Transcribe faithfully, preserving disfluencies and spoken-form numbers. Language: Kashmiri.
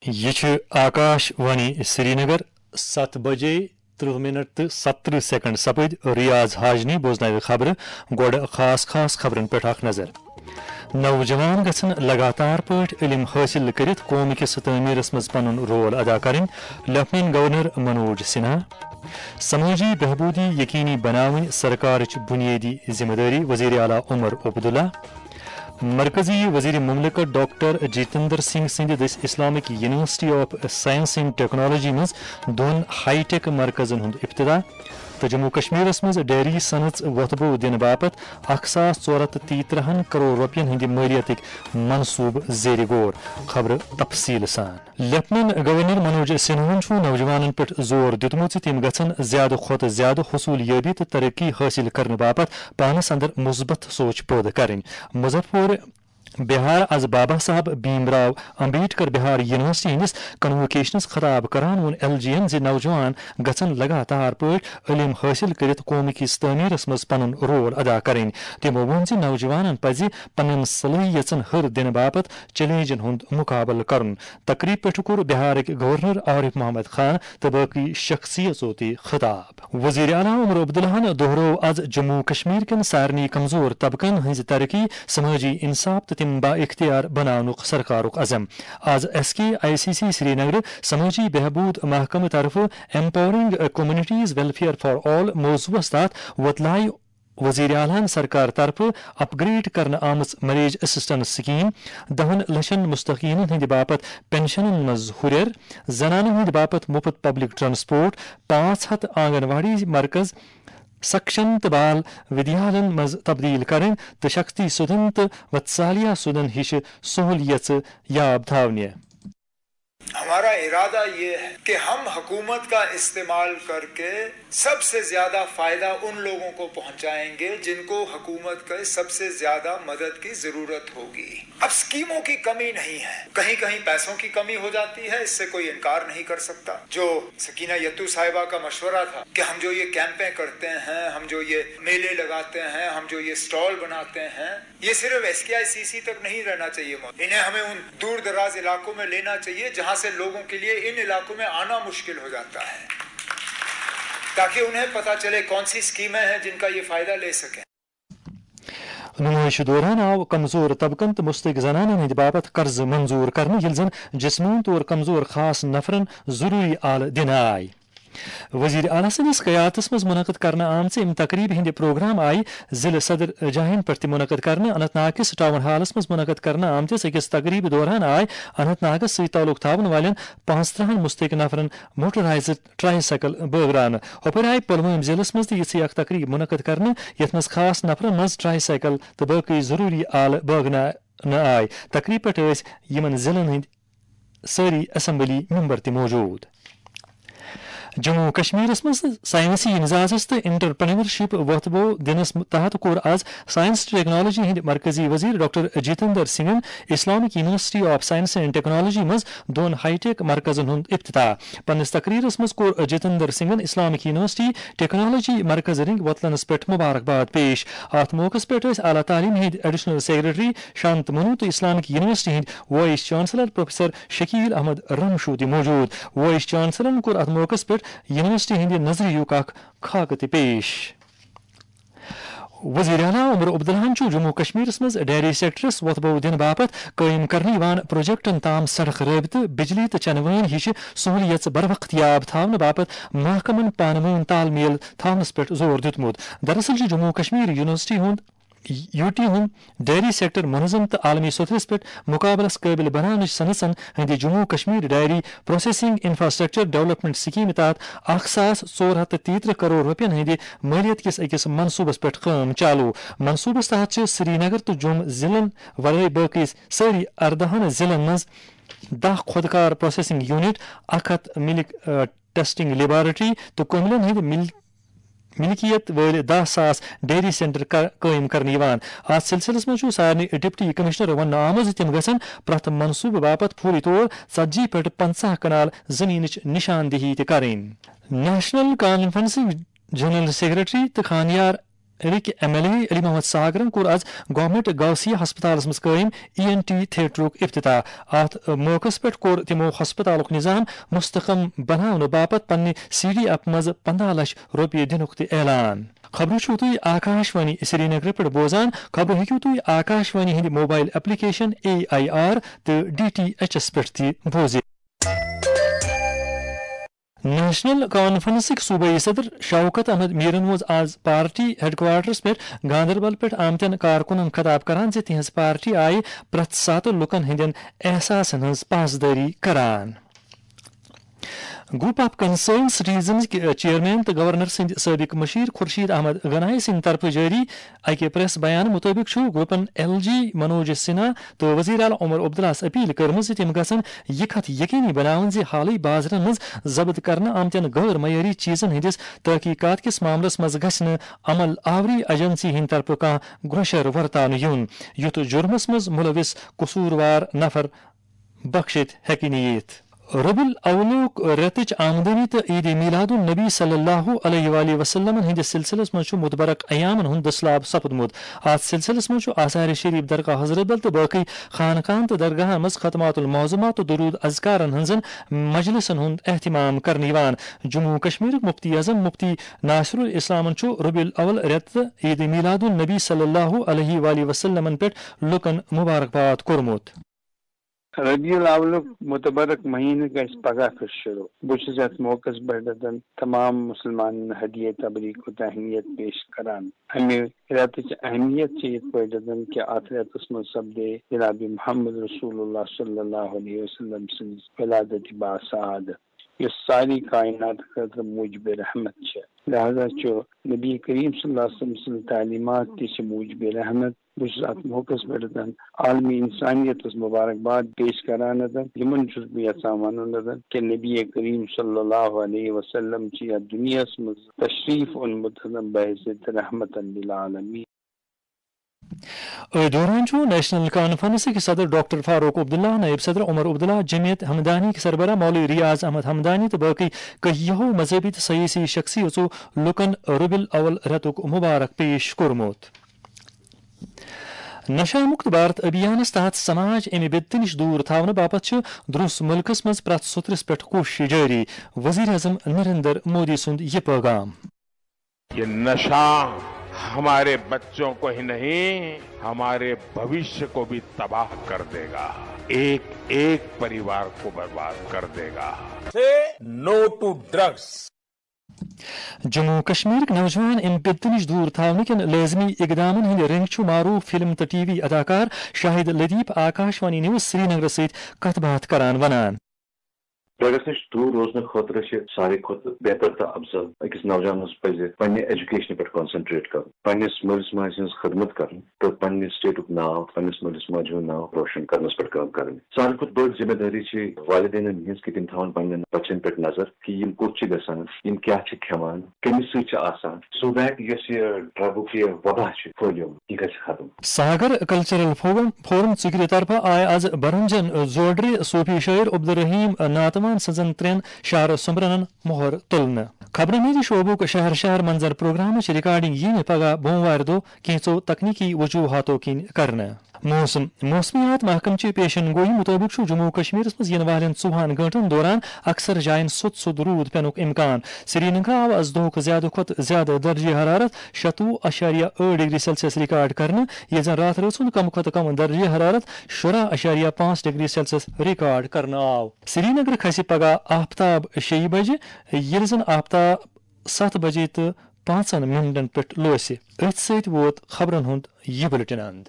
یہِ چھُ آکاش وانی سرینگر۔ ستھ بجے ترٕہ منٹ تہٕ ستترٕہ سیکنڈ سپٕدۍ۔ ریاض حاجنی بوزناوِ خبرٕ۔ گۄڈٕ خاص خاص خبرن پٮ۪ٹھ اکھ نظر۔ نوجوان گژھن لگاتار پٲٹھۍ علم حٲصِل کٔرِتھ قوم کِس تعمیٖرس منٛز پنُن رول ادا کرٕنۍ، لیفٹیننٹ گورنر منوج سنہا۔ سمٲجی بہبوٗدی یقینی بناوٕنۍ سرکارٕچ بُنیٲدی ذمہٕ دٲری، وزیر اعلیٰ عمر عبداللہ۔ مرکزی وزیر مملکت ڈاکٹر جتیندر سنگھ سٕنٛدِ دٔسۍ Islamic university of science and technology منٛز دۄن ہائی ٹیک مرکزن ہُنٛد افتتاح۔ تہٕ جموں کشمیرس منٛز ڈیری صنعت وۄتھٕ بو دِنہٕ باپتھ اکھ ساس ژور ہتھ تہٕ تیٚیہِ ترٕٛہن کرور رۄپین ہٕنٛدِ مٲلیتٕکۍ منصوٗبہٕ زیر غور۔ خبرٕ تفصیٖل سان۔ لیفٹیننٹ گورنر منوج سنہاہن چھُ نوجوانن پٮ۪ٹھ زور دیُتمُت زِ تِم گژھن زیادٕ کھۄتہٕ زیادٕ حصوٗلیٲبی تہٕ ترقی حٲصِل کرنہٕ باپتھ پانس اندر مثبت سونچ پٲدٕ کرٕنۍ۔ مظفر پور بہار از بابا صاحب بھیم راو امبیڈکر بہار یونیورسٹی ہٕنٛدِس کنووکیشنس خطاب کران ووٚن ایل جی ین زِ نوجوان گژھن لگاتار پٲٹھۍ علم حٲصِل کٔرِتھ قومٕکِس تعمیٖرس منٛز پنُن رول ادا کرٕنۍ۔ تِمو ووٚن زِ نوجوانن پزِ پننٮ۪ن صلٲحیژن ہُر دِنہٕ باپتھ چیلنجن ہُنٛد مقابلہٕ کرُن۔ تقریب پٮ۪ٹھ کوٚر بہارٕکۍ گورنر عارف محمد خان تہٕ باقی شخصیژو تہِ خطاب۔ وزیر اعلیٰ عمر عبداللہن دۄہرٲو از جموں کشمیر کٮ۪ن سارنٕے کمزور طبقن ہٕنٛزِ ترقی، سمٲجی انصاف تہٕ تِم با اختیار بناونُک سرکارُک عزم۔ از S K I C C Srinagar سمٲجی بہبود محکمہٕ طرفہٕ Empowering Communities Welfare for All موضوعس تحت وۄتلایہِ وزیر اعلیٰ ہن سرکار طرفہٕ اپ گریڈ کرنہٕ آمٕژ میریج اسسٹنس سکیم، دہن لچھن مستحقینن ہٕنٛدِ باپتھ پنشنن منٛز ہُرٮ۪ر، زنانن ہٕنٛدِ باپتھ مفت پبلک ٹرانسپورٹ، پانٛژھ ہتھ آنگن واڑی مرکز، سکشم تہٕ بال ودیالن منٛز تبدیل کرٕنۍ تہٕ شکتی سدن تہٕ وتسالیا سدن ہِش سہولیژٕ یاب تھاونہِ۔ ہمارا ارادہ یہ ہے کہ ہم حکومت کا استعمال کر کے سب سے زیادہ فائدہ ان لوگوں کو پہنچائیں گے جن کو حکومت کا سب سے زیادہ مدد کی ضرورت ہوگی۔ اب اسکیموں کی کمی نہیں ہے، کہیں کہیں پیسوں کی کمی ہو جاتی ہے، اس سے کوئی انکار نہیں کر سکتا۔ جو سکینہ یتو صاحبہ کا مشورہ تھا کہ ہم جو یہ کیمپیں کرتے ہیں، ہم جو یہ میلے لگاتے ہیں، ہم جو یہ اسٹال بناتے ہیں، یہ صرف S K I C C تک نہیں رہنا چاہیے موجود۔ انہیں ہمیں ان دور دراز علاقوں میں لینا چاہیے جہاں سے لوگوں کے لیے ان علاقوں میں آنا مشکل ہو جاتا ہے، تاکہ انہیں پتہ چلے کون سی اسکیمیں ہیں جن کا یہ فائدہ لے سکیں۔ نمٲیشہِ دوران آو کمزور طبقن تہٕ مستحق زنانن ہٕنٛدِ باپتھ قرضہٕ منظور کرنہٕ، ییٚلہِ زن جسمٲنی طور کمزور خاص نفرن ضروٗری آلہٕ دِنہٕ آیہِ۔ وزیر اعلیٰ سٕنٛدِس قیادتس منٛز منعقد کرنہٕ آمژِ اَمہِ تقریبہِ ہٕنٛدِ پروگرام آیہِ ضلعہٕ صدر جاین پٮ۪ٹھ تہِ منعقد کرنہٕ۔ اننت ناگکِس ٹاؤن ہالس منٛز منعقد کرنہٕ آمتِس أکِس تقریبہِ دوران آیہِ اننت ناگس سۭتۍ تعلق تھاوَن والٮ۪ن پانٛژترٕٛہن مستحق نفرن موٹرائزڈ ٹرائی سائیکل بٲگراونہٕ۔ ہُپٲرۍ آیہِ پُلوٲمۍ ضلعس منٛز تہِ یِژھٕے اکھ تقریب منعقد کرنہٕ، یتھ منٛز خاص نفرن منٛز ٹرائی سائیکل تہٕ باقٕے ضروٗری آلہٕ بٲگراونہٕ آیہِ۔ تقریب پٮ۪ٹھ ٲسۍ یِمن ضلعن ہٕنٛدۍ سٲری اسمبلی ممبر تہِ موجود۔ جموں و کشمیرس منٛز سائنسی امتیازس تہٕ انٹرپرینورشپ وۄتھٕ بو دِنس تحت کوٚر از سائنس تہٕ ٹیکنالوجی ہٕنٛدۍ مرکزی وزیر ڈاکٹر جتیندر سنگھن Islamic university of science and technology منٛز دۄن ہائی ٹیک مرکزن ہُنٛد افتتاح۔ پننِس تقریرس منٛز کوٚر جتیندر سنگھن اسلامک یونیورسٹی ٹیکنالوجی مرکز رنگ وۄتلنس پٮ۪ٹھ مبارکباد پیش۔ اتھ موقعس پٮ۪ٹھ ٲسۍ اعلیٰ تعلیٖم ہٕنٛدۍ ایڈیشنل سیکرٹری شانت منو تہٕ اسلامک یونیورسٹی ہٕنٛدۍ vice chancellor professor Shakeel Ahmad Ramshoo تہِ موجود۔ وائس چانسلرن کوٚر اتھ موقعس پٮ۪ٹھ یونیورسٹی ہٕنٛدِ نظریُک اکھ خاکہٕ تہِ پیش۔ وزیر اعلیٰ عمر عبداللہن چھُ جموں و کشمیرس منٛز ڈیری سیکٹرس وۄتھٕ بو دِنہٕ باپتھ قٲیِم کرنہٕ یِوان پروجیکٹن تام سڑک رٲبطہٕ، بجلی تہٕ چنہٕ وٲنۍ ہِشہِ سہولیژٕ بروقت یاب تھاونہٕ باپتھ محکمن پانہٕ وٲنۍ تال میل تھاونس پٮ۪ٹھ زور دیُتمُت۔ دراصل چھُ جموں و کشمیر یونیورسٹی ہُنٛد یوٗ ٹی ہُنٛد ڈیری سیکٹر منظم تہٕ عالمی سطحس پٮ۪ٹھ مقابلس قٲبل بناونٕچ صنعژن ہٕنٛدِ جموں و Kashmir dairy processing infrastructure development سکیمہِ تحت اکھ ساس ژور ہتھ تہٕ تیٚیہِ ترٕٛہ کرور رۄپین ہٕنٛدِ مٲلیت کِس أکِس منصوٗبس پٮ۪ٹھ کٲم چالو۔ منصوٗبس تحت چھِ سرینگر تہٕ جوٚم ضلعن ورٲے باقٕے سٲری ارداہن ضلعن منٛز دَہ خۄد کار پروسیسنگ یونٹ، اکھ ہتھ ملک، آ، ٹیسٹنگ لیبارٹری تہٕ کٔملن ہٕنٛدۍ مل-، ملکیت وٲلۍ دَہ ساس ڈیری سینٹر کر-، قٲیِم کرنہٕ یِوان۔ اتھ سلسلس منٛز چھُ سارنٕے ڈپٹی کمشنر وننہٕ آمُت زِ تِم گژھن پرٛٮ۪تھ منصوٗبہٕ باپتھ فوری طور ژتجی پٮ۪ٹھ پنٛژاہ کنال زٔمیٖنٕچ نشاندہی تہِ کرٕنۍ۔ نیشنل کانفرنسٕکۍ جنرل سیکرٹری تہٕ خانیار کشمیرٕکۍ M L A Ali Mohammad ساگرن کوٚر از گورنمنٹ گوسیہ ہسپتالس منٛز قٲیِم ای این ٹی تھیٹرُک افتتاح۔ اتھ موقعس پٮ۪ٹھ کوٚر تِمو ہسپتالُک نظام مستحکم بناونہٕ باپتھ پننہِ سی ڈی ایف منٛز پنٛداہ لچھ رۄپیہِ دِنُک تہِ اعلان۔ خبرٕ چھِو تُہۍ آکاش وانی سرینگرٕ پٮ۪ٹھ بوزان۔ خبرٕ ہیٚکِو تُہۍ آکاش وانی ہٕنٛدِ mobile application A I R تہٕ ڈی ٹی ایچ ایس پٮ۪ٹھ تہِ بوٗزِتھ۔ نیشنل کانفرنسٕکۍ صوبٲئی صدر شوکت احمد میرن ووٚن آز پارٹی ہیڈ کوارٹرس پٮ۪ٹھ گاندربل پٮ۪ٹھ آمتٮ۪ن کارکنن خطاب کران زِ تِہنٛز پارٹی آیہِ پرٛٮ۪تھ ساتہٕ لوٗکن ہٕنٛدٮ۪ن احساسن ہٕنٛز پاسدٲری کران۔ گروپ آف کنسرن سٹیزنز کہِ چیئرمین تہٕ گورنر سٕنٛدِ سٲبق مشیر خورشید احمد گنایی سٕنٛدِ طرفہٕ جٲری اکہِ پریس بیان مُطٲبِق چھُ گروپن ایل جی منوج سنہا تہٕ وزیر اعلیٰ عمر عبداللہس اپیل کٔرمٕژ زِ تِم گژھن یہِ کتھ یقینی بناوٕنۍ زِ حالٕے بازرن منٛز ضبط کرنہٕ آمتٮ۪ن غٲر معیٲری چیزن ہٕنٛدِس تحقیقات کِس معاملس منٛز گژھِ نہٕ عمل آوری ایجنسی ہٕنٛدِ طرفہٕ کانٛہہ گۄشر ورتاونہٕ یُن، یُتھ جرمس منٛز ملوث قصوٗروار نفر بخشِتھ ہیٚکہِ نہٕ یِتھ۔ ربیع الاولُک رٮ۪تٕچ آمدنی تہٕ عید میلاد النبی صلی اللہ علیہ وآلہ وسلمن ہٕنٛدِس سلسلس منٛز چھُ متبرک ایامن ہُنٛد دٔسلاب سپُدمُت۔ اتھ سلسلس منٛز چھُ آثار شریف، درگاہ حضرت بل تہٕ باقی خانقاہن تہٕ درگاہن منٛز ختمات المعظمات تہٕ درود اذکارن ہٕنٛزن مجلسن ہُنٛد اہتمام کرنہٕ یِوان۔ جموں و کشمیرٕکۍ مفتی اعظم مفتی ناصر الاسلامن چھُ ربیع الاول رٮ۪تہٕ تہٕ عید میلاد النبی صلی اللہ علیہ وآلہ وسلمن پٮ۪ٹھ لوٗکن مبارکباد کوٚرمُت۔ ربیع الاولُک متبرک مہینہٕ گژھِ پگاہ پٮ۪ٹھ شروع۔ بہٕ چھُس یتھ موقعس پٮ۪ٹھ تمام مسلمانن ہدیہ تبریک و تہنیت پیش کران۔ امہِ رٮ۪تٕچ اہمیت چھِ یِتھ پٲٹھۍ زن کہِ اتھ رٮ۪تس منٛز سپدے جناب محمد رسول اللہ صلی اللہ علیہ وسلم سٕنٛز ولادت باسعادت، یۄس ساری کائنات خٲطرٕ موجب رحمت چھِ۔ لہذا چھُ نبی کریم صلی اللہ علیہ وسلم سٕنٛز تعلیمات تہِ چھِ موجب رحمت۔ بہٕ چھُس اتھ موقعس پٮ۪ٹھ عالمی انسانیتس مبارکباد پیش کران۔ یِمن چھُس بہٕ یژھان ونُن کہِ نبی کریم صلی اللہ علیہ وسلم چھِ یتھ دُنیاہس منٛز تشریف اوٚنمُت بحیثیت رحمتن للعالمین۔ أتھۍ دوران چھُ نیشنل کانفرنسٕکۍ صدر ڈاکٹر فاروق عبداللہ، نائب صدر عمر عبداللہ، جمعیت ہمدانی کہِ سربراہ مولوی ریاض احمد ہمدانی تہٕ باقی کہیہو مذہبی تہٕ سیٲسی شخصیژو لوٗکن ربیع الاول رٮ۪تُک مبارک پیش کوٚرمُت۔ نشہ مکت بھارت ابھیانس تحت سماج امہِ بدتہٕ نِش دوٗر تھاونہٕ باپتھ چھِ درٛوس مُلکس منٛز پرٛٮ۪تھ سوٚترِس پٮ۪ٹھ کوٗشش جٲری۔ وزیر اعظم نریندر مودی سُنٛد یہِ پٲغام۔ ये नशा हमारे बच्चों को ही नहीं, हमारे भविष्य को भी तबाह कर देगा। एक एक परिवार को बर्बाद कर देगा। Say no to drugs. Jammu و کشمیرٕکۍ نوجوان امہِ بدتہٕ نِش دوٗر تھاونہٕ کٮ۪ن لٲزمی اقدامن ہٕنٛدۍ رٔنٛگۍ چھُ معروٗف فلم تہٕ ٹی وی اداکار شاہد لطیف آکاش وانی نیوز سرینگرس سۭتۍ کتھ باتھ کران ونان۔ ڈرگس نِش دوٗر روزنہٕ خٲطرٕ چھِ ساروی کھۄتہٕ بہتر تہٕ افضل أکِس نوجوانس پزِ پننہِ ایجوکیشنہِ پٮ۪ٹھ کانسنٹریٹ کرُن، پننِس مٲلِس ماجہِ ہٕنٛز خدمت کرٕنۍ تہٕ پننہِ سٹیٹُک ناو، پننِس مٲلِس ماجہِ ہُنٛد ناو روشن کرنس پٮ۪ٹھ کٲم کرٕنۍ۔ ساروی کھۄتہٕ بٔڑ ذمہ دٲری چھِ والدینن ہٕنٛز کہِ تِم تھاون پننٮ۪ن بچن پٮ۪ٹھ نظر کہِ یِم کوٚت چھِ گژھان، یِم کیٛاہ چھِ کھٮ۪وان، کٔمِس سۭتۍ چھِ آسان، so that یۄس یہِ ڈرگُک یہِ وبا چھُ پھٔہلیومُت، یہِ گژھِ ختم۔ ساگر کلچرل فورم، فورم ژُکرِ طرفہٕ آیہِ از برمجن زوڈرِ صوفی شٲعر عبدالرحیم ناتوان سٕنٛزن ترٛٮ۪ن شعر سومبرنن مۄہر تُلنہٕ۔ خبرن ہٕنٛدِ شعبُک شہر شہر منظر پروگرامٕچ ریکارڈنگ یِیہِ پگاہ بوموارِ دۄہ کینٛژو تکنیکی وجوہاتو کِنۍ کرنہٕ۔ موسم، موسمیات محکمہٕ چہِ پیشن گویی مُطٲبِق چھُ جموں و کشمیرس منٛز یِنہٕ والٮ۪ن ژوٚوُہن گٲنٛٹن دوران اکثر جاین سوٚت سوٚت روٗد پٮ۪نُک امکان۔ سرینگرٕ آو از دۄہُک زیادٕ کھۄتہٕ زیادٕ درجہ حرارت شتوُہ اَشاریہ ٲٹھ ڈگری سیلسیس ریکارڈ کرنہٕ، ییٚلہِ زن راتھ رٲژ ہُنٛد کم کھۄتہٕ کم درجہ حرارت شُراہ اَشاریہ پانٛژھ ڈگری سیلسیس ریکارڈ کرنہٕ آو۔ سرینگرٕ کھسہِ پگاہ آفتاب شیٚیہِ بجہِ، ییٚلہِ زن آفتاب ستھ بجے تہٕ پانٛژن منٹن پٮ۪ٹھ لوسہِ۔ أتھۍ سۭتۍ ووت خبرن ہُنٛد یہِ بُلٹن اند۔